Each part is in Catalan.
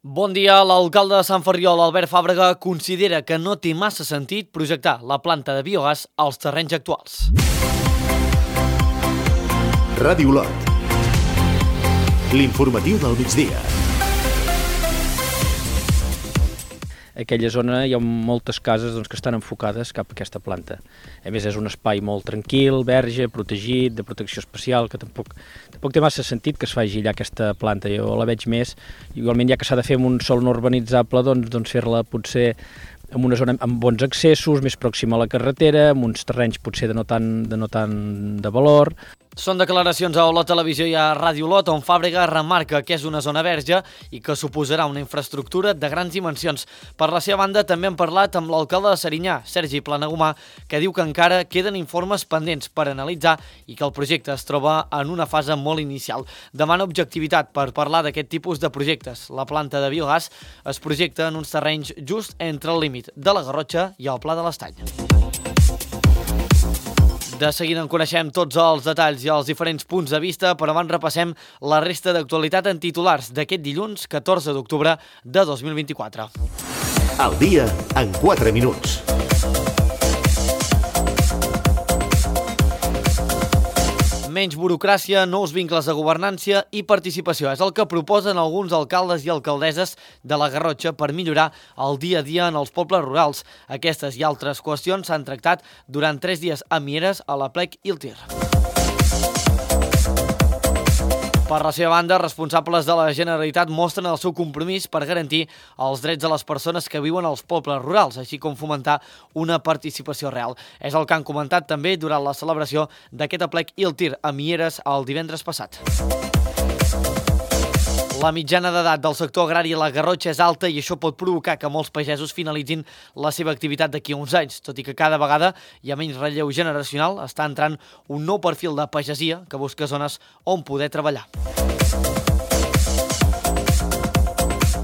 Bon dia. L'alcalde de Sant Ferriol, Albert Fàbrega, considera que no té massa sentit projectar la planta de biogàs als terrenys actuals. Ràdio Olot. L'informatiu del migdia. Aquella zona hi ha moltes cases que estan enfocades cap a aquesta planta. A més, és un espai molt tranquil, verge, protegit, de protecció especial, que tampoc té massa sentit que es faci allà aquesta planta. Jo la veig més, igualment ja que s'ha de fer amb un sòl no urbanitzable, doncs fer-la potser en una zona amb bons accessos, més pròxima a la carretera, amb uns terrenys potser de no tant de valor. Són declaracions a Olot Televisió i a Ràdio Olot, on Fàbrega remarca que és una zona verge i que suposarà una infraestructura de grans dimensions. Per la seva banda, també han parlat amb l'alcalde de Serinyà, Sergi Planagumà, que diu que encara queden informes pendents per analitzar i que el projecte es troba en una fase molt inicial. Demana objectivitat per parlar d'aquest tipus de projectes. La planta de biogàs es projecta en uns terrenys just entre el límit de la Garrotxa i el Pla de l'Estany. De seguida en coneixem tots els detalls i els diferents punts de vista, però abans repassem la resta d'actualitat en titulars d'aquest dilluns 14 d'octubre de 2024. Al dia en 4 minuts. Menys burocràcia, nous vincles de governança i participació. És el que proposen alguns alcaldes i alcaldesses de la Garrotxa per millorar el dia a dia en els pobles rurals. Aquestes i altres qüestions s'han tractat durant 3 dies a Mieres, a la Plec i el Tir. Per la seva banda, responsables de la Generalitat mostren el seu compromís per garantir els drets de les persones que viuen als pobles rurals, així com fomentar una participació real. És el que han comentat també durant la celebració d'aquest aplec i el tir a Mieres el divendres passat. La mitjana d'edat del sector agrari a la Garrotxa és alta i això pot provocar que molts pagesos finalitzin la seva activitat d'aquí a uns anys, tot i que cada vegada hi ha menys relleu generacional, està entrant un nou perfil de pagesia que busca zones on poder treballar.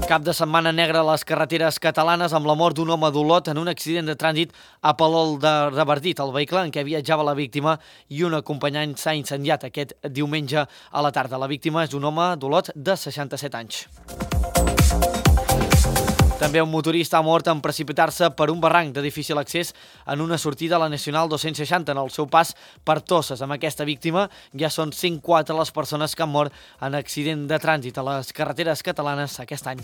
Cap de setmana negre a les carreteres catalanes amb la mort d'un home d'Olot en un accident de trànsit a Palol de Revardit. El vehicle en què viatjava la víctima i un acompanyant s'ha incendiat aquest diumenge a la tarda. La víctima és un home d'Olot de 67 anys. També un motorista ha mort en precipitar-se per un barranc de difícil accés en una sortida a la Nacional 260 en el seu pas per Tosses. Amb aquesta víctima ja són 104 les persones que han mort en accident de trànsit a les carreteres catalanes aquest any.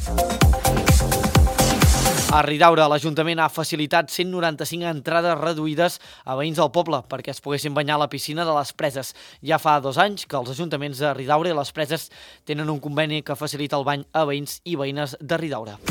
A Ridaura, l'Ajuntament ha facilitat 195 entrades reduïdes a veïns del poble perquè es poguessin banyar a la piscina de les Preses. Ja fa 2 anys que els ajuntaments de Ridaura i les Preses tenen un conveni que facilita el bany a veïns i veïnes de Ridaura.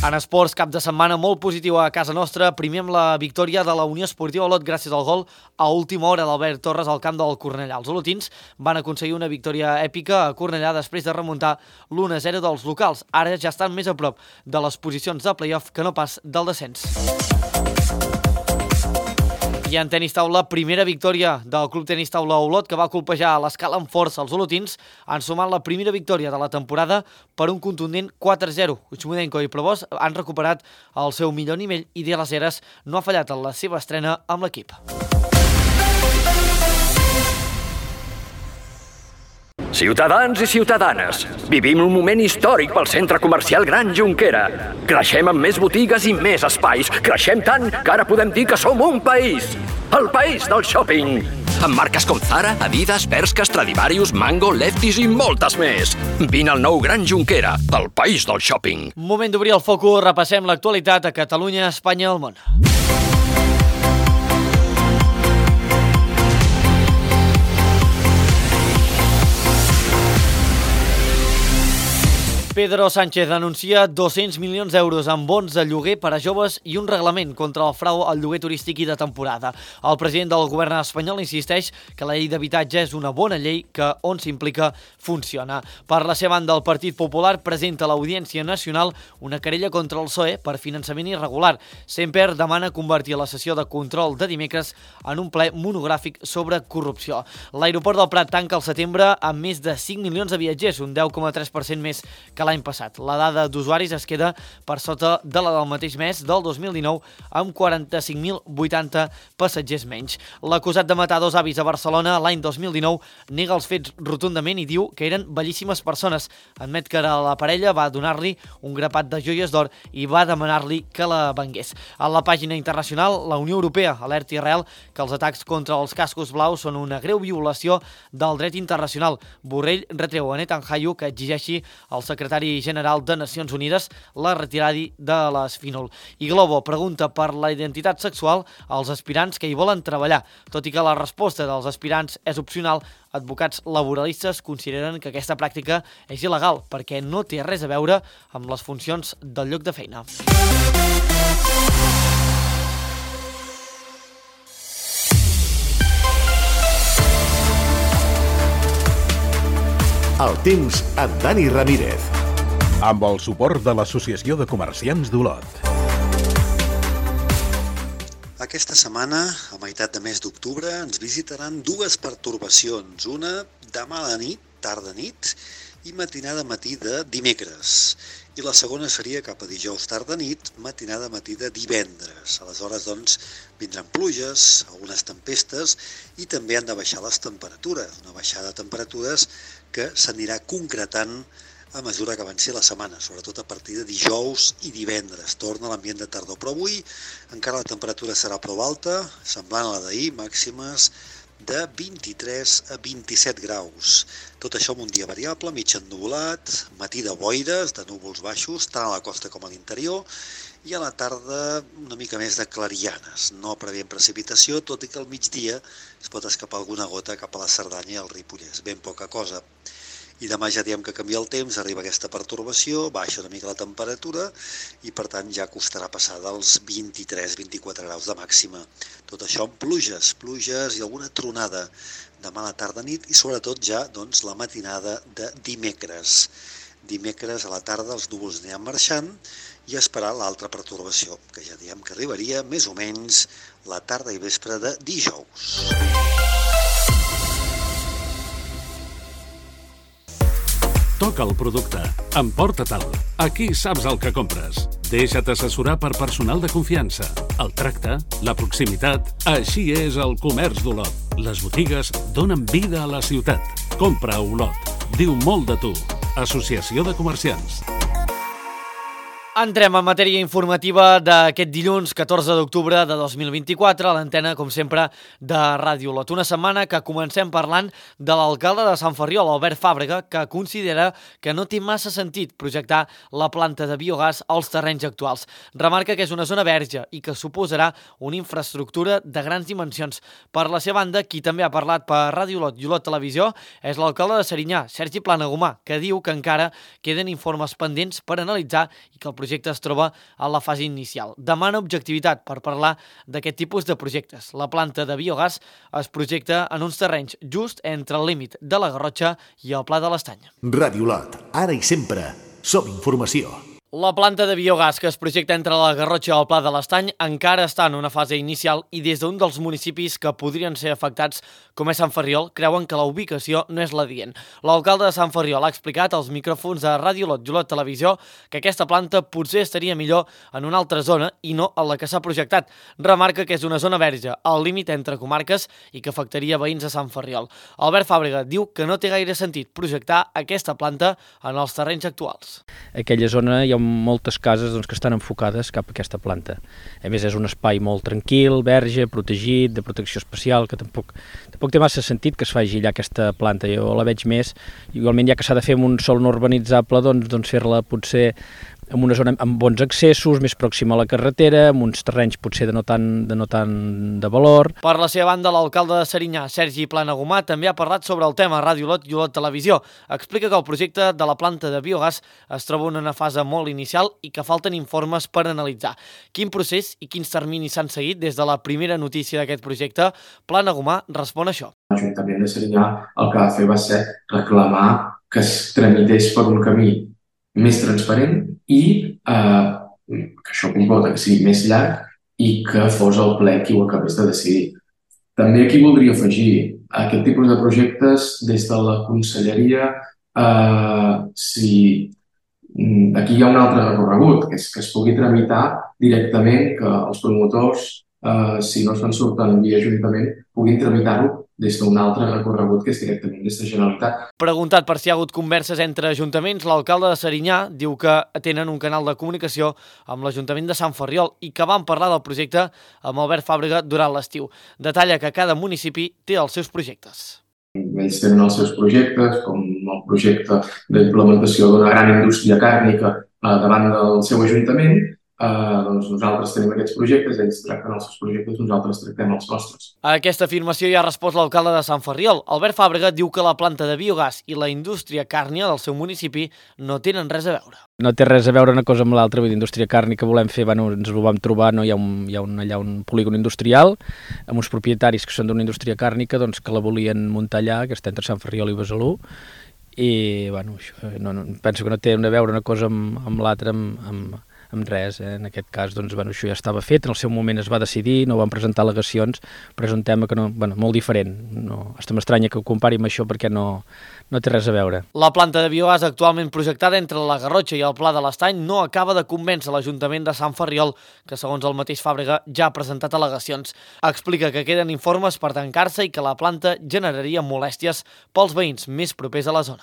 En esports, cap de setmana molt positiu a casa nostra. Primer amb la victòria de la Unió Esportiva Olot gràcies al gol a última hora d'Albert Torres al camp del Cornellà. Els olotins van aconseguir una victòria èpica a Cornellà després de remuntar l'1-0 dels locals. Ara ja estan més a prop de les posicions de play-off que no pas del descens. I en tenis taula, primera victòria del Club Tenis Taula Olot, que va colpejar a l'escala amb força els olotins, han sumat la primera victòria de la temporada per un contundent 4-0. Uchmudenko i Provós han recuperat el seu millor nivell i De Las Heras no ha fallat en la seva estrena amb l'equip. Ciutadans i ciutadanes, vivim un moment històric pel centre comercial Gran Jonquera. Creixem amb més botigues i més espais. Creixem tant que ara podem dir que som un país. El país del shopping. Amb marques com Zara, Adidas, Bershka, Stradivarius, Mango, Lefties i moltes més. Vine al nou Gran Jonquera, el país del shopping. Moment d'obrir el focus, repassem l'actualitat a Catalunya, Espanya i el món. Pedro Sánchez anuncia 200 milions d'euros en bons de lloguer per a joves i un reglament contra el frau al lloguer turístic i de temporada. El president del govern espanyol insisteix que la llei d'habitatge és una bona llei que, on s'implica, funciona. Per la seva banda, el Partit Popular presenta a l'Audiència Nacional una querella contra el PSOE per finançament irregular. Semper demana convertir la sessió de control de dimecres en un ple monogràfic sobre corrupció. L'aeroport del Prat tanca al setembre amb més de 5 milions de viatgers, un 10,3% més que l'any passat. La dada d'usuaris es queda per sota de la del mateix mes del 2019 amb 45.080 passatgers menys. L'acusat de matar dos avis a Barcelona l'any 2019 nega els fets rotundament i diu que eren bellíssimes persones. Admet que la parella va donar-li un grapat de joies d'or i va demanar-li que la vengués. A la pàgina internacional, la Unió Europea alerta Israel que els atacs contra els cascos blaus són una greu violació del dret internacional. Borrell retreu a Netanyahu que exigeixi al secretari general de Nacions Unides la retirada de l'Esfinol. I Globo pregunta per la identitat sexual als aspirants que hi volen treballar. Tot i que la resposta dels aspirants és opcional, advocats laboralistes consideren que aquesta pràctica és il·legal perquè no té res a veure amb les funcions del lloc de feina. El temps amb Dani Ramírez. Amb el suport de l'Associació de Comerciants d'Olot. Aquesta setmana, a meitat de mes d'octubre, ens visitaran dues pertorbacions. Una demà a la nit, tarda-nit, i matinada-matí de dimecres. I la segona seria cap a dijous tarda-nit, matinada-matí de divendres. Aleshores, doncs, vindran pluges, algunes tempestes i també han de baixar les temperatures. Una baixada de temperatures que s'anirà concretant a mesura que avanci la setmana, sobretot a partir de dijous i divendres. Torna l'ambient de tardor, però avui encara la temperatura serà prou alta, semblant a la d'ahir, màximes de 23 a 27 graus. Tot això amb un dia variable, mig ennuvolat, matí de boires, de núvols baixos, tant a la costa com a l'interior, i a la tarda una mica més de clarianes. No preveiem precipitació, tot i que al migdia es pot escapar alguna gota cap a la Cerdanya i al Ripollès, ben poca cosa. I demà ja diem que canvia el temps, arriba aquesta pertorbació, baixa una mica la temperatura i per tant ja costarà passar dels 23-24 graus de màxima. Tot això amb pluges i alguna tronada demà a la tarda-nit i sobretot ja doncs, la matinada de dimecres. Dimecres a la tarda els núvols aniran marxant i esperar l'altra pertorbació, que ja diem que arribaria més o menys la tarda i vespre de dijous. Toca el producte. Emporta-te'l. Aquí saps el que compres. Deixa't assessorar per personal de confiança. El tracte, la proximitat... Així és el comerç d'Olot. Les botigues donen vida a la ciutat. Compra a Olot. Diu molt de tu. Associació de Comerciants. Entrem en matèria informativa d'aquest dilluns 14 d'octubre de 2024 a l'antena, com sempre, de Ràdio Olot. Una setmana que comencem parlant de l'alcalde de Sant Ferriol, Albert Fàbrega, que considera que no té massa sentit projectar la planta de biogàs als terrenys actuals. Remarca que és una zona verge i que suposarà una infraestructura de grans dimensions. Per la seva banda, qui també ha parlat per Ràdio Olot i Olot Televisió és l'alcalde de Serinyà, Sergi Planagumà, que diu que encara queden informes pendents per analitzar i que el projecte es troba a la fase inicial. Demana objectivitat per parlar d'aquest tipus de projectes. La planta de biogàs es projecta en uns terrenys just entre el límit de la Garrotxa i el Pla de l'Estany. Ràdio Olot, ara i sempre, som informació. La planta de biogàs que es projecta entre la Garrotxa i el Pla de l'Estany encara està en una fase inicial i des d'un dels municipis que podrien ser afectats, com és Sant Ferriol, creuen que la ubicació no és l'adient. L'alcalde de Sant Ferriol ha explicat als micròfons de Ràdio Olot i Olot Televisió que aquesta planta potser estaria millor en una altra zona i no en la que s'ha projectat. Remarca que és una zona verge, al límit entre comarques i que afectaria veïns de Sant Ferriol. Albert Fàbrega diu que no té gaire sentit projectar aquesta planta en els terrenys actuals. Aquella zona hi ha moltes cases que estan enfocades cap a aquesta planta. A més, és un espai molt tranquil, verge, protegit, de protecció especial, que tampoc té massa sentit que es faci allà aquesta planta. Jo la veig més, igualment ja que s'ha de fer amb un sòl no urbanitzable, doncs fer-la potser en una zona amb bons accessos, més pròxima a la carretera, amb uns terrenys potser de no tant de valor. Per la seva banda, l'alcalde de Serinyà, Sergi Planagumà, també ha parlat sobre el tema a Ràdio Olot i Olot Televisió. Explica que el projecte de la planta de biogàs es troba en una fase molt inicial i que falten informes per analitzar. Quin procés i quins terminis s'han seguit des de la primera notícia d'aquest projecte? Planagumà respon a això. L'Ajuntament de Serinyà el que va fer va ser reclamar que es tramités per un camí més transparent i que això comporta que sigui més llarg i que fos el ple qui ho acabés de decidir. També aquí voldria afegir aquest tipus de projectes des de la conselleria, si Aquí hi ha un altre recorregut, que és que es pugui tramitar directament, que els promotors, si no se'n surten via Ajuntament, puguin tramitar-ho des d'un altre recorregut, que és directament des de Generalitat. Preguntat per si hi ha hagut converses entre ajuntaments, l'alcalde de Serinyà diu que tenen un canal de comunicació amb l'Ajuntament de Sant Ferriol i que van parlar del projecte amb Albert Fàbrega durant l'estiu. Detalla que cada municipi té els seus projectes. Ells tenen els seus projectes, com el projecte d'implementació d'una gran indústria càrnica davant del seu ajuntament. Doncs nosaltres tenim aquests projectes, ells tracten els seus projectes, nosaltres tractem els nostres. A aquesta afirmació hi ha respost l'alcalde de Sant Ferriol. Albert Fàbrega diu que la planta de biogàs i la indústria càrnia del seu municipi no tenen res a veure. No té res a veure una cosa amb l'altra, vull dir, indústria càrnica volem fer, ens ho vam trobar, no? Hi ha allà un polígon industrial amb uns propietaris que són d'una indústria càrnica doncs, que la volien muntar allà, que està entre Sant Ferriol i Besalú, i bueno, penso que no té a veure una cosa amb l'altra, amb res. En aquest cas, doncs, això ja estava fet, en el seu moment es va decidir, no van presentar al·legacions, però és un tema que molt diferent. Hasta m'estranya que ho compari amb això perquè no té res a veure. La planta de biogàs actualment projectada entre la Garrotxa i el Pla de l'Estany no acaba de convèncer l'Ajuntament de Sant Ferriol, que segons el mateix Fàbrega ja ha presentat al·legacions. Explica que queden informes per tancar-se i que la planta generaria molèsties pels veïns més propers a la zona.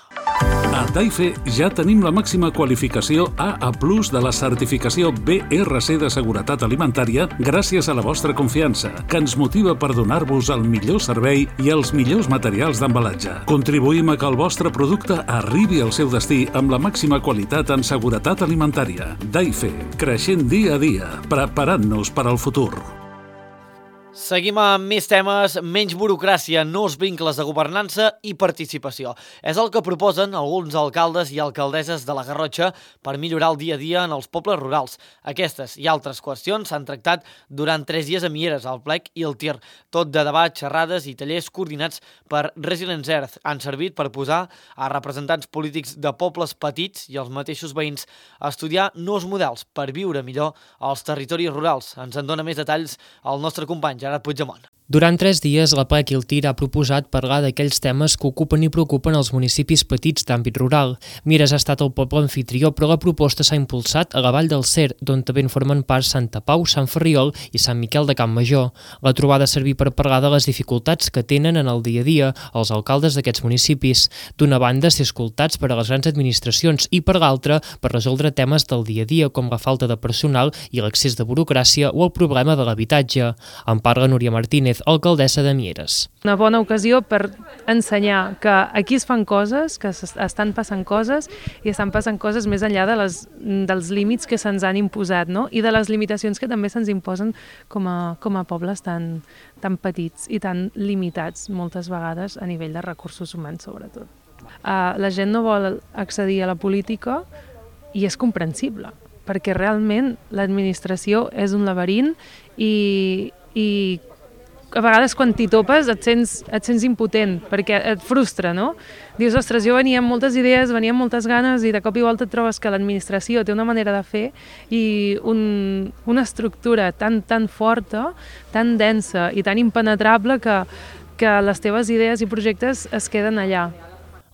A Daife ja tenim la màxima qualificació AA+ de la certificació BRC de seguretat alimentària gràcies a la vostra confiança, que ens motiva per donar-vos el millor servei i els millors materials d'embalatge. Contribuïm a que el vostre producte arribi al seu destí amb la màxima qualitat en seguretat alimentària. Daife, creixent dia a dia, preparant-nos per al futur. Seguim amb més temes, menys burocràcia, nous vincles de governança i participació. És el que proposen alguns alcaldes i alcaldesses de la Garrotxa per millorar el dia a dia en els pobles rurals. Aquestes i altres qüestions s'han tractat durant 3 dies a Mieres, al Plec i el Tir, tot de debat, xerrades i tallers coordinats per Resilience Earth. Han servit per posar a representants polítics de pobles petits i els mateixos veïns a estudiar nous models per viure millor als territoris rurals. Ens en dona més detalls el nostre company Gerard Puigdemont. Durant 3 dies, la Plec i el Tir ha proposat parlar d'aquells temes que ocupen i preocupen els municipis petits d'àmbit rural. Mieres ha estat el poble anfitrió, però la proposta s'ha impulsat a la Vall del Cer, d'on també en formen part Santa Pau, Sant Ferriol i Sant Miquel de Campmajor. La trobada ha servit per parlar de les dificultats que tenen en el dia a dia els alcaldes d'aquests municipis. D'una banda, ser escoltats per a les grans administracions i per l'altra, per resoldre temes del dia a dia com la falta de personal i l'accés de burocràcia o el problema de l'habitatge. En parla Núria Martínez, alcaldessa de Mieres. Una bona ocasió per ensenyar que aquí es fan coses, que estan passant coses i estan passant coses més enllà dels límits que se'ns han imposat, no? I de les limitacions que també se'ns imposen com a pobles tan petits i tan limitats moltes vegades a nivell de recursos humans sobretot. La gent no vol accedir a la política i és comprensible, perquè realment l'administració és un laberint i a vegades quan t'hi topes et sents impotent, perquè et frustra, no? Dius, ostres, jo venia amb moltes idees, venia amb moltes ganes i de cop i volta et trobes que l'administració té una manera de fer i una estructura tan forta, tan densa i tan impenetrable que les teves idees i projectes es queden allà.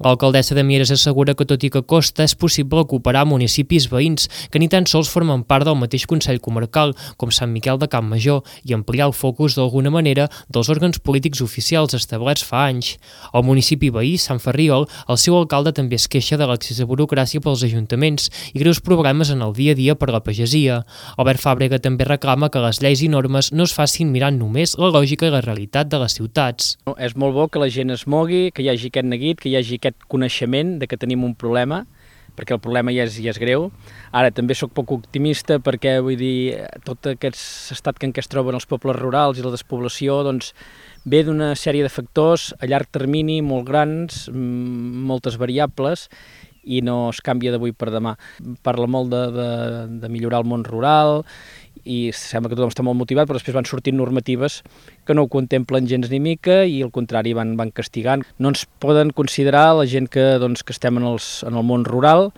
L'alcaldessa de Mieres assegura que tot i que costa és possible cooperar municipis veïns que ni tan sols formen part del mateix Consell Comarcal, com Sant Miquel de Campmajor, i ampliar el focus d'alguna manera dels òrgans polítics oficials establerts fa anys. Al municipi veí, Sant Ferriol, el seu alcalde també es queixa de l'accés a burocràcia pels ajuntaments i greus problemes en el dia a dia per la pagesia. Albert Fàbrega també reclama que les lleis i normes no es facin mirant només la lògica i la realitat de les ciutats. És molt bo que la gent es mogui, que hi hagi aquest neguit, que hi hagi aquest coneixement de que tenim un problema, perquè el problema ja és greu. Ara també sóc poc optimista perquè, vull dir, tot aquest estat en què es troben els pobles rurals i la despoblació, doncs, ve d'una sèrie de factors a llarg termini molt grans, moltes variables, i no es canvia d'avui per demà. Parla molt de millorar el món rural i sembla que tothom està molt motivat, però després van sortint normatives que no ho contemplen gens ni mica i al contrari van castigant. No ens poden considerar la gent que estem en el món rural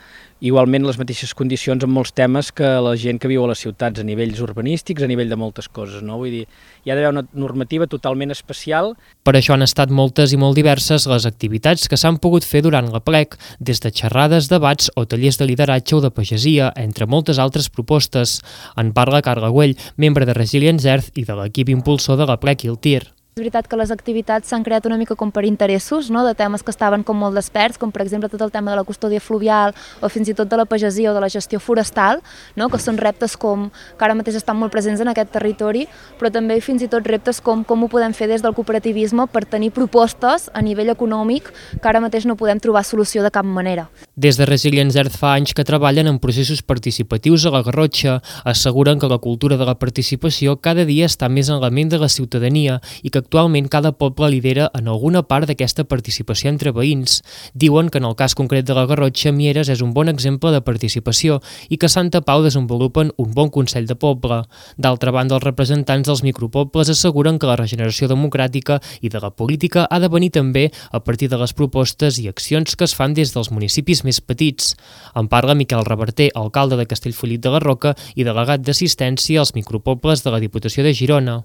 igualment les mateixes condicions en molts temes que la gent que viu a les ciutats, a nivells urbanístics, a nivell de moltes coses, no? Vull dir, hi ha d'haver una normativa totalment especial. Per això han estat moltes i molt diverses les activitats que s'han pogut fer durant l'Aplec, des de xerrades, debats o tallers de lideratge o de pagesia, entre moltes altres propostes. En parla Carla Güell, membre de Resilience Earth i de l'equip impulsor de l'Aplec i el TIR. És veritat que les activitats s'han creat una mica com per interessos, no? De temes que estaven com molt desperts, com per exemple tot el tema de la custòdia fluvial o fins i tot de la pagesia o de la gestió forestal, no? Que són reptes que ara mateix estan molt presents en aquest territori, però també fins i tot reptes com ho podem fer des del cooperativisme per tenir propostes a nivell econòmic que ara mateix no podem trobar solució de cap manera. Des de Resilience Earth fa anys que treballen en processos participatius a la Garrotxa. Asseguren que la cultura de la participació cada dia està més en la ment de la ciutadania i que actualment cada poble lidera en alguna part d'aquesta participació entre veïns. Diuen que en el cas concret de la Garrotxa, Mieres és un bon exemple de participació i que a Santa Pau desenvolupen un bon Consell de Poble. D'altra banda, els representants dels micropobles asseguren que la regeneració democràtica i de la política ha de venir també a partir de les propostes i accions que es fan des dels municipis més petits. En parla Miquel Reverter, alcalde de Castellfollit de la Roca i delegat d'assistència als micropobles de la Diputació de Girona.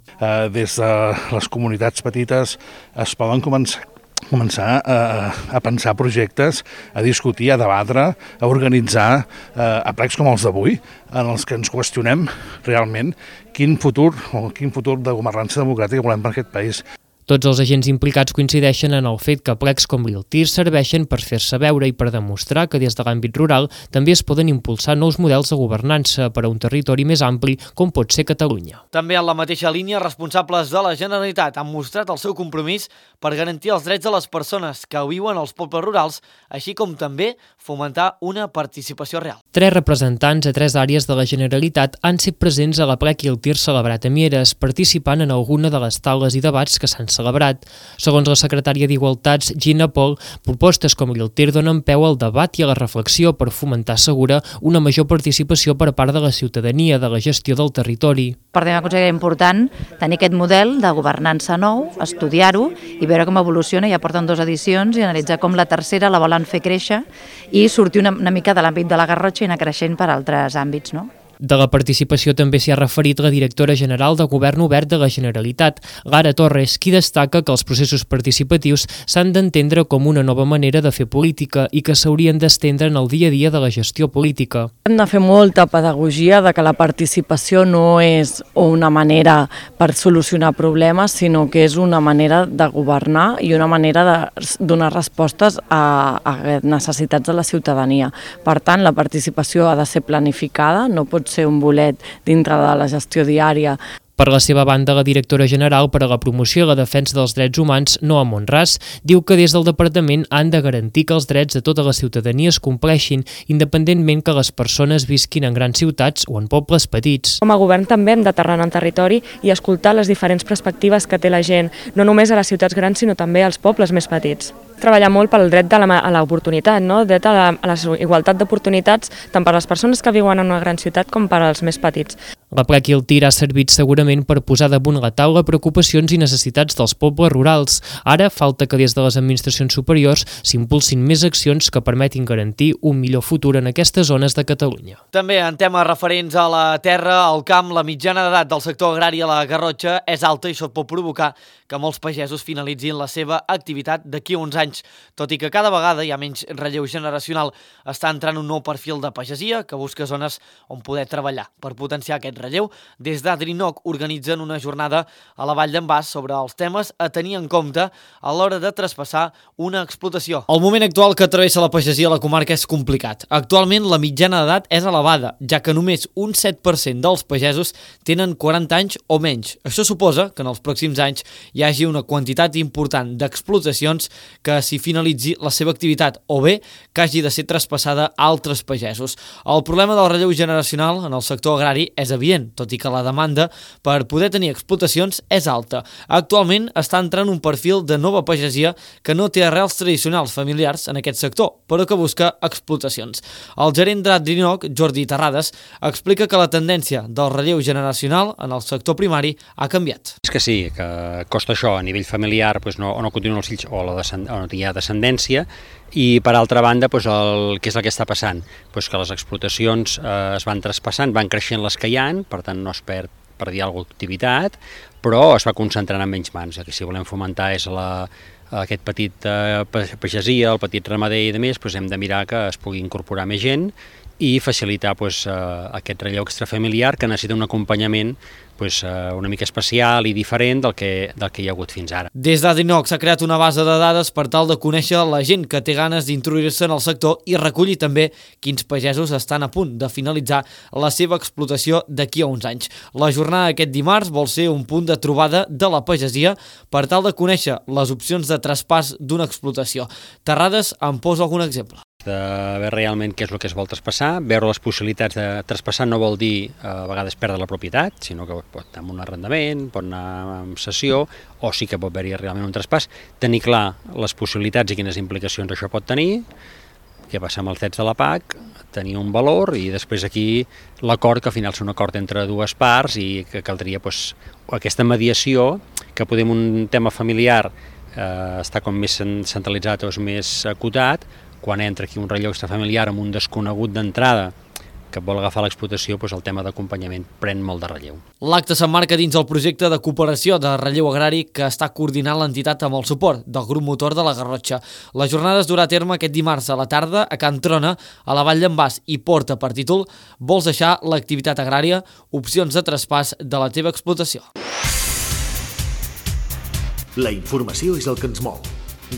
Des de les comunitats petites es poden començar a pensar projectes, a discutir, a debatre, a organitzar aplecs com els d'avui, en els que ens qüestionem realment quin futur de governança democràtica volem per aquest país. Tots els agents implicats coincideixen en el fet que plecs com el TIR serveixen per fer-se veure i per demostrar que des de l'àmbit rural també es poden impulsar nous models de governança per a un territori més ampli com pot ser Catalunya. També en la mateixa línia, responsables de la Generalitat han mostrat el seu compromís per garantir els drets de les persones que viuen als pobles rurals, així com també fomentar una participació real. 3 representants a 3 àrees de la Generalitat han estat presents a l'Aplec i el TIR celebrat a Mieres, participant en alguna de les taules i debats que s'han celebrat. Segons la secretària d'Igualtats, Gina Pol, propostes com el TIR donen peu al debat i a la reflexió per fomentar, assegura, una major participació per part de la ciutadania de la gestió del territori. Per mi considero important tenir aquest model de governança nou, estudiar-ho i veure com evoluciona. Ja porten 2 edicions i analitzar com la tercera la volen fer créixer i sortir una mica de l'àmbit de la Garrotxa i anar creixent per altres àmbits, no? De la participació també s'hi ha referit la directora general de Govern Obert de la Generalitat, Lara Torres, qui destaca que els processos participatius s'han d'entendre com una nova manera de fer política i que s'haurien d'estendre en el dia a dia de la gestió política. Hem de fer molta pedagogia de que la participació no és una manera per solucionar problemes, sinó que és una manera de governar i una manera de donar respostes a necessitats de la ciutadania. Per tant, la participació ha de ser planificada, no pot ser un bolet dintre de la gestió diària. Per la seva banda, la directora general per a la promoció i la defensa dels drets humans, Noa Monràs, diu que des del departament han de garantir que els drets de tota la ciutadania es compleixin, independentment que les persones visquin en grans ciutats o en pobles petits. Com a govern també hem d'aterrar en el territori i escoltar les diferents perspectives que té la gent, no només a les ciutats grans, sinó també als pobles més petits. Treballar molt pel dret a l'oportunitat, no? Dret a la igualtat d'oportunitats tant per a les persones que viuen en una gran ciutat com per als més petits. L'Aplec i el TIR ha servit segurament per posar damunt la taula preocupacions i necessitats dels pobles rurals. Ara falta que des de les administracions superiors s'impulsin més accions que permetin garantir un millor futur en aquestes zones de Catalunya. També en temes referents a la terra, al camp, la mitjana d'edat del sector agrari a la Garrotxa és alta i això pot provocar que molts pagesos finalitzin la seva activitat d'aquí a uns anys. Tot i que cada vegada hi ha menys relleu generacional, està entrant un nou perfil de pagesia que busca zones on poder treballar. Per potenciar aquest relleu, des d'Adrinoc organitzen una jornada a la Vall d'en Bas sobre els temes a tenir en compte a l'hora de traspassar una explotació. El moment actual que travessa la pagesia a la comarca és complicat. Actualment la mitjana d'edat és elevada, ja que només un 7% dels pagesos tenen 40 anys o menys. Això suposa que en els pròxims anys hi hagi una quantitat important d'explotacions que s'hi finalitzi la seva activitat o bé que hagi de ser traspassada a altres pagesos. El problema del relleu generacional en el sector agrari és evident client, tot i que la demanda per poder tenir explotacions és alta. Actualment està entrant un perfil de nova pagesia que no té arrels tradicionals familiars en aquest sector, però que busca explotacions. El gerent d'Adrinoc, Jordi Terrades, explica que la tendència del relleu generacional en el sector primari ha canviat. És que sí, que costa això a nivell familiar, no continuen els fills o no hi ha descendència, i per altra banda, què és el que està passant? Que les explotacions es van traspassant, van creixent les que hi ha, per tant no es perdia alguna activitat, però es va concentrant en menys mans. El que si volem fomentar és aquest petit pagesia, el petit ramader i demés, hem de mirar que es pugui incorporar més gent i facilitar aquest relleu extrafamiliar que necessita un acompanyament una mica especial i diferent del que hi ha hagut fins ara. Des d'Adrinoc s'ha creat una base de dades per tal de conèixer la gent que té ganes d'introduir-se en el sector i recollir també quins pagesos estan a punt de finalitzar la seva explotació d'aquí a uns anys. La jornada d'aquest dimarts vol ser un punt de trobada de la pagesia per tal de conèixer les opcions de traspàs d'una explotació. Terrades en posa algun exemple. De veure realment què és el que es vol traspassar, veure les possibilitats de traspassar no vol dir a vegades perdre la propietat, sinó que pot anar amb un arrendament, pot anar amb cessió, o sí que pot haver-hi realment un traspàs, tenir clar les possibilitats i quines implicacions això pot tenir, què passa amb els drets de la PAC, tenir un valor i després aquí l'acord, que al final és un acord entre dues parts i que caldria aquesta mediació, que podem un tema familiar està com més centralitzat o és més acotat, quan entra aquí un relleu extrafamiliar amb un desconegut d'entrada que vol agafar l'explotació, el tema d'acompanyament pren molt de relleu. L'acte s'emmarca dins el projecte de cooperació de relleu agrari que està coordinant l'entitat amb el suport del grup motor de la Garrotxa. La jornada es durà a terme aquest dimarts a la tarda a Can Trona, a la Vall d'en Bas, i porta per títol "Vols deixar l'activitat agrària? Opcions de traspàs de la teva explotació". La informació és el que ens mou.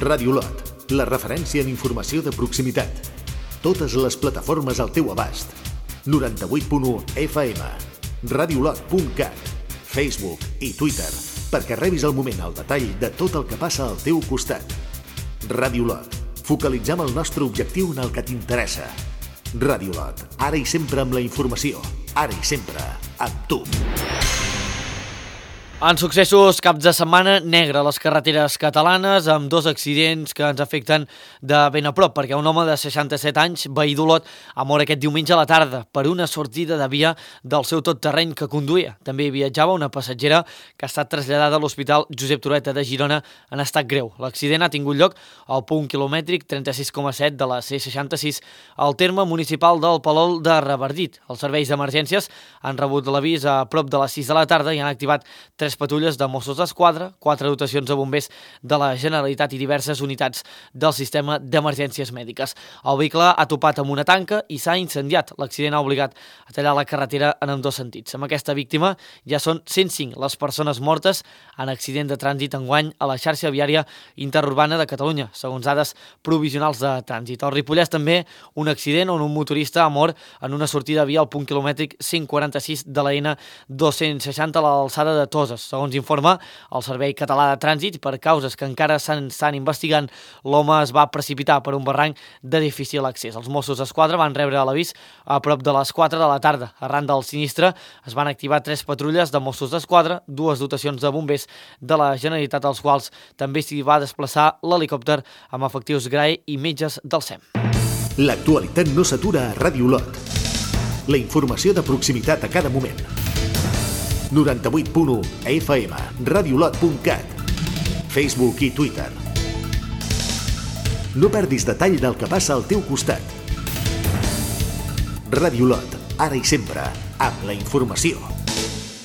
Ràdio Lot, la referència en informació de proximitat. Totes les plataformes al teu abast. 98.1 FM, radiolot.cat, Facebook i Twitter, perquè rebis al moment el detall de tot el que passa al teu costat. Ràdio Lot, focalitzem el nostre objectiu en el que t'interessa. Ràdio Lot, ara i sempre amb la informació, ara i sempre amb tu. En successos, caps de setmana negre a les carreteres catalanes, amb dos accidents que ens afecten de ben a prop, perquè un home de 67 anys, veí d'Olot, ha mort aquest diumenge a la tarda per una sortida de via del seu tot terreny que conduïa. També hi viatjava una passatgera que ha estat traslladada a l'Hospital Josep Trueta de Girona en estat greu. L'accident ha tingut lloc al punt quilomètric 36,7 de la C66 al terme municipal del Palol de Revardit. Els serveis d'emergències han rebut l'avís a prop de les 6 de la tarda i han activat 3 patrulles de Mossos d'Esquadra, 4 dotacions de bombers de la Generalitat i diverses unitats del sistema d'emergències mèdiques. El vehicle ha topat amb una tanca i s'ha incendiat. L'accident ha obligat a tallar la carretera en ambdós sentits. Amb aquesta víctima ja són 105 les persones mortes en accident de trànsit enguany a la xarxa viària interurbana de Catalunya, segons dades provisionals de trànsit. Al Ripollès també un accident on un motorista ha mort en una sortida via al punt quilomètric 146 de la N260 a l'alçada de Toses. Segons informa el Servei Català de Trànsit, per causes que encara s'estan investigant, l'home es va precipitar per un barranc de difícil accés. Els Mossos d'Esquadra van rebre l'avís a prop de les 4 de la tarda. Arran del sinistre es van activar 3 patrulles de Mossos d'Esquadra, 2 dotacions de bombers de la Generalitat, als quals també s'hi va desplaçar l'helicòpter amb efectius GRAE i metges del SEM. L'actualitat no s'atura a Ràdio Lot. La informació de proximitat a cada moment. 98.1 FM, radiolot.cat, Facebook i Twitter. No perdis detall del que passa al teu costat. Ràdio Lot, ara i sempre, amb la informació.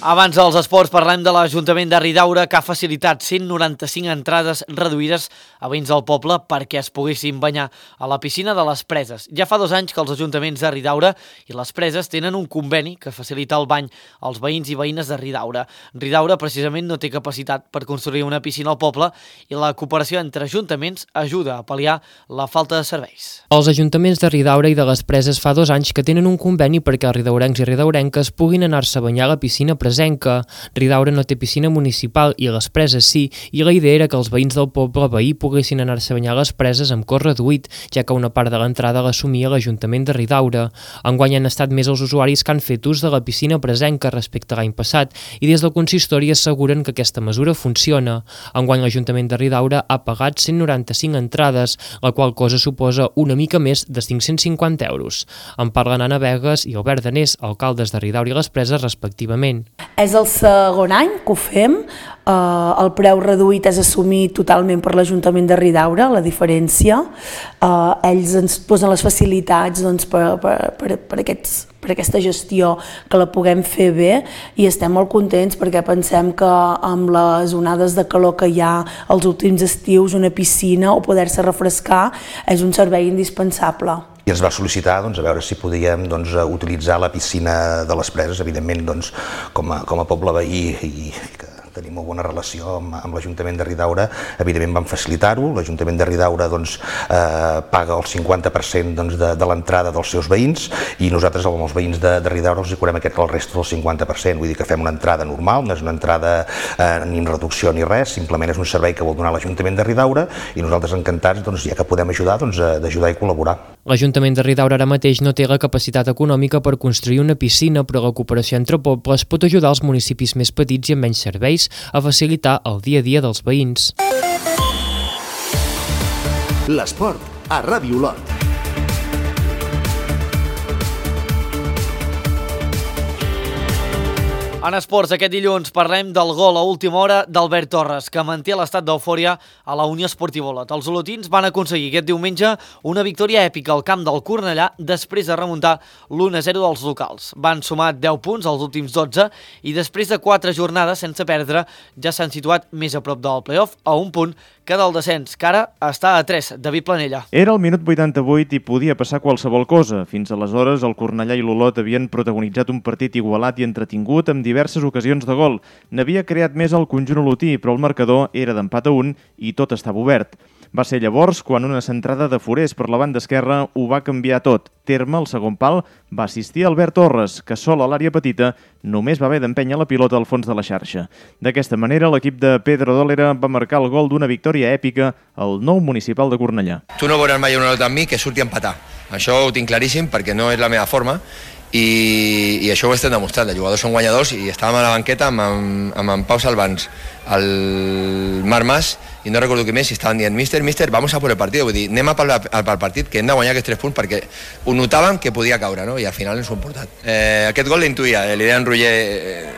Abans dels esports parlem de l'Ajuntament de Ridaura, que ha facilitat 195 entrades reduïdes a veïns del poble perquè es poguessin banyar a la piscina de les Preses. Ja fa 2 anys que els ajuntaments de Ridaura i les Preses tenen un conveni que facilita el bany als veïns i veïnes de Ridaura. Ridaura precisament no té capacitat per construir una piscina al poble i la cooperació entre ajuntaments ajuda a pal·liar la falta de serveis. Els ajuntaments de Ridaura i de les Preses fa 2 anys que tenen un conveni perquè els ridaurencs i ridaurenques puguin anar-se a banyar a la piscina presenca. Ridaura no té piscina municipal i les preses sí, i la idea era que els veïns del poble veí poguessin anar-se a banyar a les preses amb cos reduït, ja que una part de l'entrada l'assumia l'Ajuntament de Ridaura. Enguany han estat més els usuaris que han fet ús de la piscina presenca respecte a l'any passat i des del consistori asseguren que aquesta mesura funciona. Enguany l'Ajuntament de Ridaura ha pagat 195 entrades, la qual cosa suposa una mica més de 550 euros. En parlen Anna Vegas i Albert Danés, alcaldes de Ridaura i les Preses respectivament. És el segon any que ho fem, el preu reduït és assumit totalment per l'Ajuntament de Ridaura, la diferència. Ells ens posen les facilitats per aquesta gestió que la puguem fer bé i estem molt contents perquè pensem que amb les onades de calor que hi ha els últims estius, una piscina o poder-se refrescar és un servei indispensable. I ens va sol·licitar a veure si podíem utilitzar la piscina de les Preses, evidentment com a poble veí i que tenim molt bona relació amb l'Ajuntament de Ridaura, evidentment vam facilitar-ho. L'Ajuntament de Ridaura paga el 50% de l'entrada dels seus veïns i nosaltres amb els veïns de Ridaura els cobrem el resta del 50%, vull dir que fem una entrada normal, no és una entrada ni amb reducció ni res, simplement és un servei que vol donar l'Ajuntament de Ridaura i nosaltres encantats, ja que podem ajudar, d'ajudar i col·laborar. L'Ajuntament de Ridaura ara mateix no té la capacitat econòmica per construir una piscina, però la cooperació entre pobles pot ajudar els municipis més petits i amb menys serveis a facilitar el dia a dia dels veïns. L'esport a Ràdio Olot. En esports, aquest dilluns parlem del gol a última hora d'Albert Torres, que manté l'estat d'eufòria a la Unió Esportiva Olot. Els olotins van aconseguir aquest diumenge una victòria èpica al camp del Cornellà després de remuntar l'1-0 dels locals. Van sumar 10 punts als últims 12 i després de 4 jornades sense perdre ja s'han situat més a prop del play-off a un punt que del descens, que ara està a 3. David Planella. Era el minut 88 i podia passar qualsevol cosa. Fins aleshores, el Cornellà i l'Olot havien protagonitzat un partit igualat i entretingut amb diverses ocasions de gol. N'havia creat més el conjunt olotí, però el marcador era d'empat a 1 i tot estava obert. Va ser llavors quan una centrada de Forés per la banda esquerra ho va canviar tot. Terme, el segon pal, va assistir Albert Torres, que sol a l'àrea petita només va haver d'empènyer la pilota al fons de la xarxa. D'aquesta manera, l'equip de Pedro Dólera va marcar el gol d'una victòria èpica al nou municipal de Cornellà. Tu no veuràs mai una nota amb mi que surti a empatar. Això ho tinc claríssim perquè no és la meva forma i això ho estem demostrant. Els jugadors són guanyadors i estàvem a la banqueta amb en Pau Salvans, el Marc Mas i no recordo qui més, i estaven dient mister, vamos a por el partido, vull dir, anem a pel partit, que hem de guanyar aquests 3 punts perquè ho notàvem que podia caure, no? I al final ens ho hem portat. Aquest gol l'intuïa, l'idea en Roger,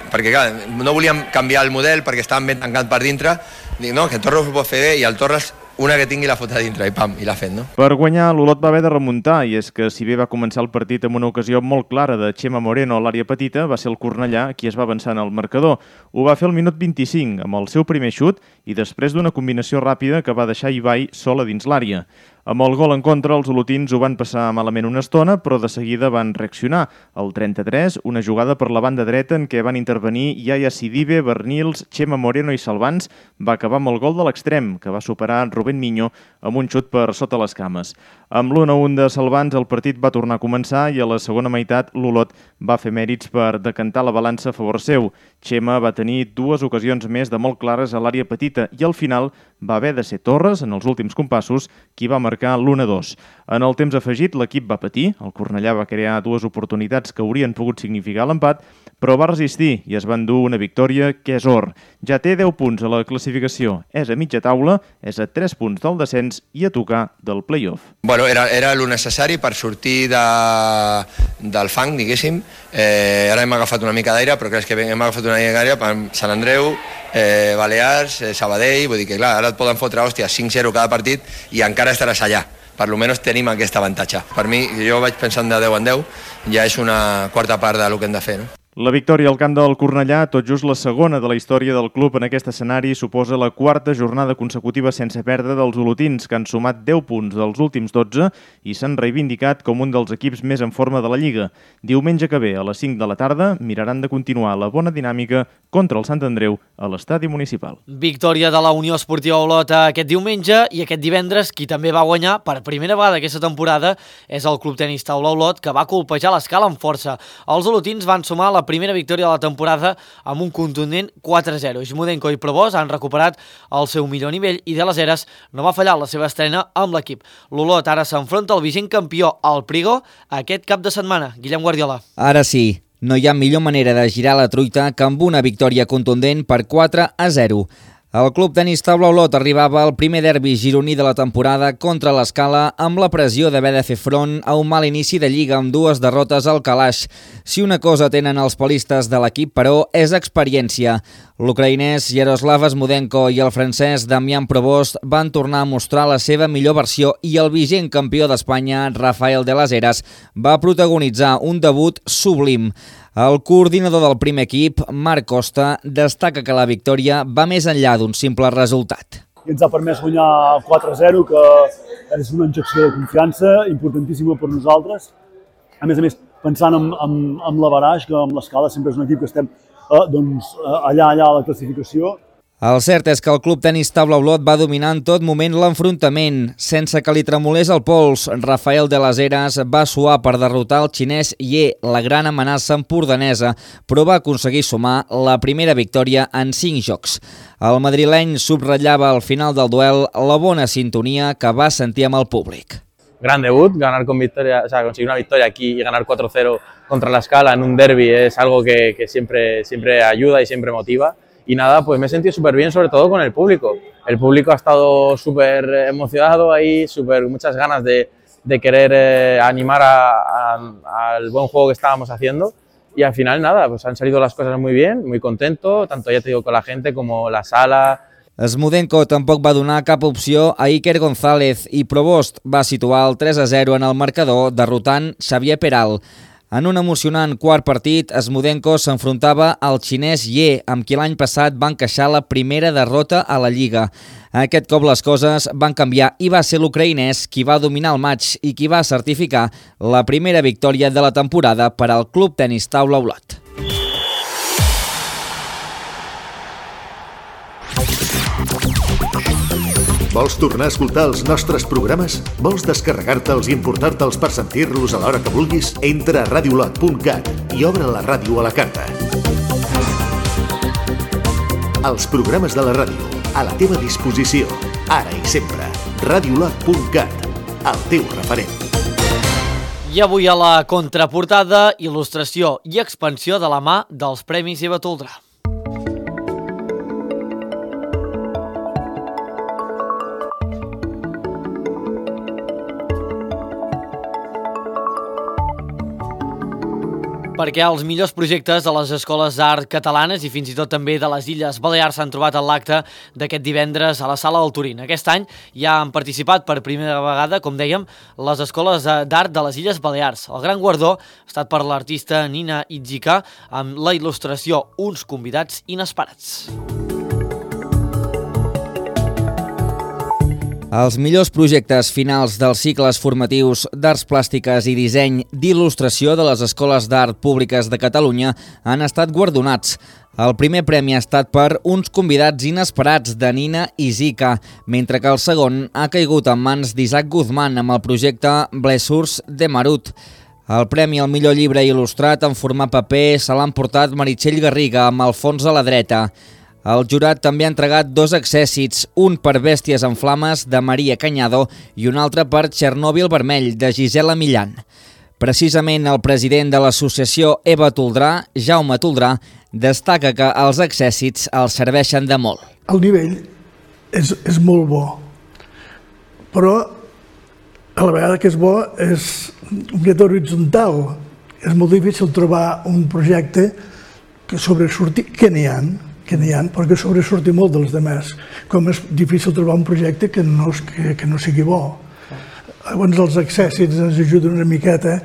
perquè clar, no volíem canviar el model perquè estàvem ben tancats per dintre, dic, no, que Torres ho pot fer bé i el Torres una que tingui la fota dintre i pam, i l'ha fet, no? Per guanyar, l'Olot va haver de remuntar, i és que si bé va començar el partit amb una ocasió molt clara de Chema Moreno a l'àrea petita, va ser el Cornellà qui es va avançar en el marcador. Ho va fer al minut 25, amb el seu primer xut, i després d'una combinació ràpida que va deixar Ibai sola dins l'àrea. Amb el gol en contra, els olotins ho van passar malament una estona, però de seguida van reaccionar. Al 33, una jugada per la banda dreta en què van intervenir Yaya Sidibe, Bernils, Chema Moreno i Salvans, va acabar amb el gol de l'extrem, que va superar Rubén Miño amb un xut per sota les cames. Amb l'1-1 de Salvans, el partit va tornar a començar i a la segona meitat l'Olot va fer mèrits per decantar la balança a favor seu. Chema va tenir 2 ocasions més de molt clares a l'àrea petita i al final va haver de ser Torres, en els últims compassos, qui va marcar l'1-2. En el temps afegit, l'equip va patir, el Cornellà va crear 2 oportunitats que haurien pogut significar l'empat, però va resistir i es va endur una victòria que és or. Ja té 10 punts a la classificació, és a mitja taula, és a 3 punts del descens i a tocar del play-off. Bueno, era el necessari per sortir del fang, diguéssim. Ara hem agafat una mica d'aire, però crec que hem agafat una mica d'aire per Sant Andreu, Balears, Sabadell, vull dir que clar, ara et poden fotre, hòstia, 5-0 cada partit i encara estaràs allà. Per almenys tenim aquest avantatge. Per mi, jo vaig pensant de 10 en 10, ja és una quarta part del que hem de fer, no? La victòria al camp del Cornellà, tot just la segona de la història del club en aquest escenari, suposa la 4a jornada consecutiva sense perdre dels olotins, que han sumat 10 punts dels últims 12 i s'han reivindicat com un dels equips més en forma de la Lliga. Diumenge que ve, a les 5 de la tarda, miraran de continuar la bona dinàmica contra el Sant Andreu a l'estadi municipal. Victòria de la Unió Esportiva Olot aquest diumenge i aquest divendres, qui també va guanyar per primera vegada aquesta temporada és el Club Tenis Taula Olot, que va colpejar l'escala amb força. Els olotins van sumar la primera victòria de la temporada amb un contundent 4-0. Zmudenko i Provost han recuperat el seu millor nivell i De Las Heras no va fallar la seva estrena amb l'equip. L'Olot ara s'enfronta al vigent campió, el Prigo, aquest cap de setmana. Guillem Guardiola. Ara sí, no hi ha millor manera de girar la truita que amb una victòria contundent per 4-0. El Club Tenis Taula Olot arribava al primer derbi gironí de la temporada contra l'Escala amb la pressió d'haver de fer front a un mal inici de Lliga amb 2 derrotes al calaix. Si una cosa tenen els palistes de l'equip, però, és experiència. L'ucraïnès Yaroslav Zmudenko i el francès Damian Provost van tornar a mostrar la seva millor versió i el vigent campió d'Espanya, Rafael De Las Heras, va protagonitzar un debut sublim. El coordinador del primer equip, Marc Costa, destaca que la victòria va més enllà d'un simple resultat. Ens ha permès guanyar 4-0, que és una injecció de confiança importantíssima per nosaltres. A més, pensant en l'Avaraix, que amb l'Escala sempre és un equip que estem allà a la classificació. El cert és que el Club Tenis Taula Olot va dominar en tot moment l'enfrontament. Sense que li tremolés el pols, Rafael De Las Heras va suar per derrotar el xinès Ye, la gran amenaça empordanesa, però va aconseguir sumar la primera victòria en 5 jocs. El madrileny subratllava al final del duel la bona sintonia que va sentir amb el públic. Gran debut, ganar con victoria, conseguir una victoria aquí y ganar 4-0 contra la Escala en un derbi es algo que siempre ayuda y siempre motiva. Y nada, pues me he sentido súper bien, sobre todo con el público. El público ha estado súper emocionado ahí, muchas ganas de querer animar al buen juego que estábamos haciendo. Y al final nada, pues han salido las cosas muy bien, muy contento, tanto ya te digo con la gente como la sala. Zmudenko tampoc va donar cap opció a Iker González i Provost va situar el 3-0 en el marcador derrotant Xavier Peral. En un emocionant quart partit, Zmudenko s'enfrontava al xinès Ye, amb qui l'any passat va encaixar la primera derrota a la Lliga. Aquest cop les coses van canviar i va ser l'ucraïnès qui va dominar el matx i qui va certificar la primera victòria de la temporada per al Club Tenis Taula Olot. Vols tornar a escoltar els nostres programes? Vols descarregar-te'ls i emportar-te'ls per sentir-los a l'hora que vulguis? Entra a radiolot.cat i obre la ràdio a la carta. Els programes de la ràdio, a la teva disposició, ara i sempre. Radiolot.cat, el teu referent. I avui a la contraportada, il·lustració i expansió de la mà dels Premis Eva Toldrà. Perquè els millors projectes de les escoles d'art catalanes i fins i tot també de les Illes Balears s'han trobat en l'acte d'aquest divendres a la Sala del Turín. Aquest any ja han participat per primera vegada, com dèiem, les escoles d'art de les Illes Balears. El gran guardó ha estat per l'artista Nina Itzika amb la il·lustració Uns convidats inesperats. Els millors projectes finals dels cicles formatius d'arts plàstiques i disseny d'il·lustració de les escoles d'art públiques de Catalunya han estat guardonats. El primer premi ha estat per Uns convidats inesperats de Nina Itzika, mentre que el segon ha caigut en mans d'Isaac Guzmán amb el projecte Blessures de Marut. El premi al millor llibre il·lustrat en format paper se l'ha emportat Meritxell Garriga amb el fons a la dreta. El jurat també ha entregat 2 accèssits, un per Bèsties en flames de Maria Cañado i un altre per Txernòbil vermell de Gisela Millan. Precisament el president de l'associació Eva Toldrà, Jaume Toldrà, destaca que els accèssits els serveixen de molt. El nivell és molt bo, però a la vegada que és bo és un guió horitzontal. És molt difícil trobar un projecte que sobresurti, que n'hi ha, perquè sobresurti molt dels demés. Com és difícil trobar un projecte que no sigui bo. Llavors els accèssits ens ajuden una miqueta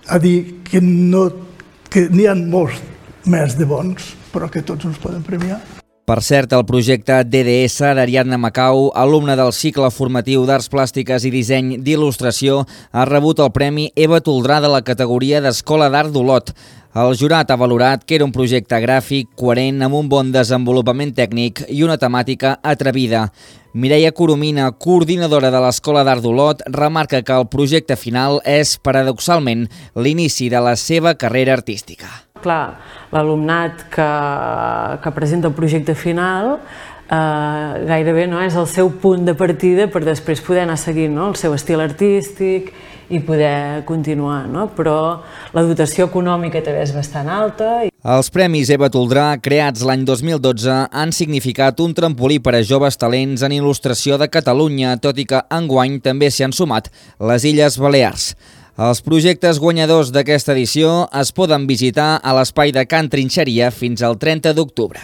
a dir que n'hi ha molts més de bons, però que tots ens poden premiar. Per cert, el projecte DDS d'Ariadna Macau, alumne del cicle formatiu d'Arts Plàstiques i Disseny d'Il·lustració, ha rebut el Premi Eva Toldrà de la categoria d'Escola d'Art d'Olot. El jurat ha valorat que era un projecte gràfic, coherent, amb un bon desenvolupament tècnic i una temàtica atrevida. Mireia Coromina, coordinadora de l'Escola d'Art d'Olot, remarca que el projecte final és, paradoxalment, l'inici de la seva carrera artística. Clar, l'alumnat que presenta el projecte final gairebé és el seu punt de partida per després poder anar seguint el seu estil artístic i poder continuar, però la dotació econòmica també és bastant alta. Els Premis Eva Toldrà, creats l'any 2012, han significat un trampolí per a joves talents en il·lustració de Catalunya, tot i que enguany també s'hi han sumat les Illes Balears. Els projectes guanyadors d'aquesta edició es poden visitar a l'espai de Can Trinxeria fins al 30 d'octubre.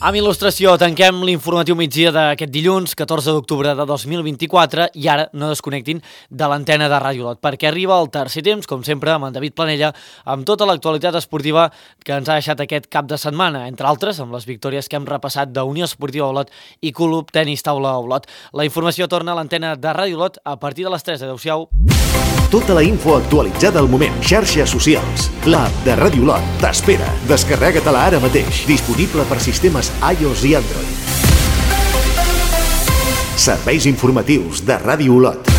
Amb il·lustració tanquem l'informatiu migdia d'aquest dilluns, 14 d'octubre de 2024, i ara no desconnectin de l'antena de Ràdio Olot, perquè arriba el tercer temps, com sempre, amb en David Planella, amb tota l'actualitat esportiva que ens ha deixat aquest cap de setmana, entre altres, amb les victòries que hem repassat d'Unió Esportiva Olot i Club Tenis Taula Olot. La informació torna a l'antena de Ràdio Olot a partir de les 3. Adéu-siau. Tota la info actualitzada al moment. Xarxes socials. L'app de Ràdio Olot t'espera. Descarrega-te-la ara mateix. Disponible per sistemes iOS i Android. Serveis informatius de Ràdio Olot.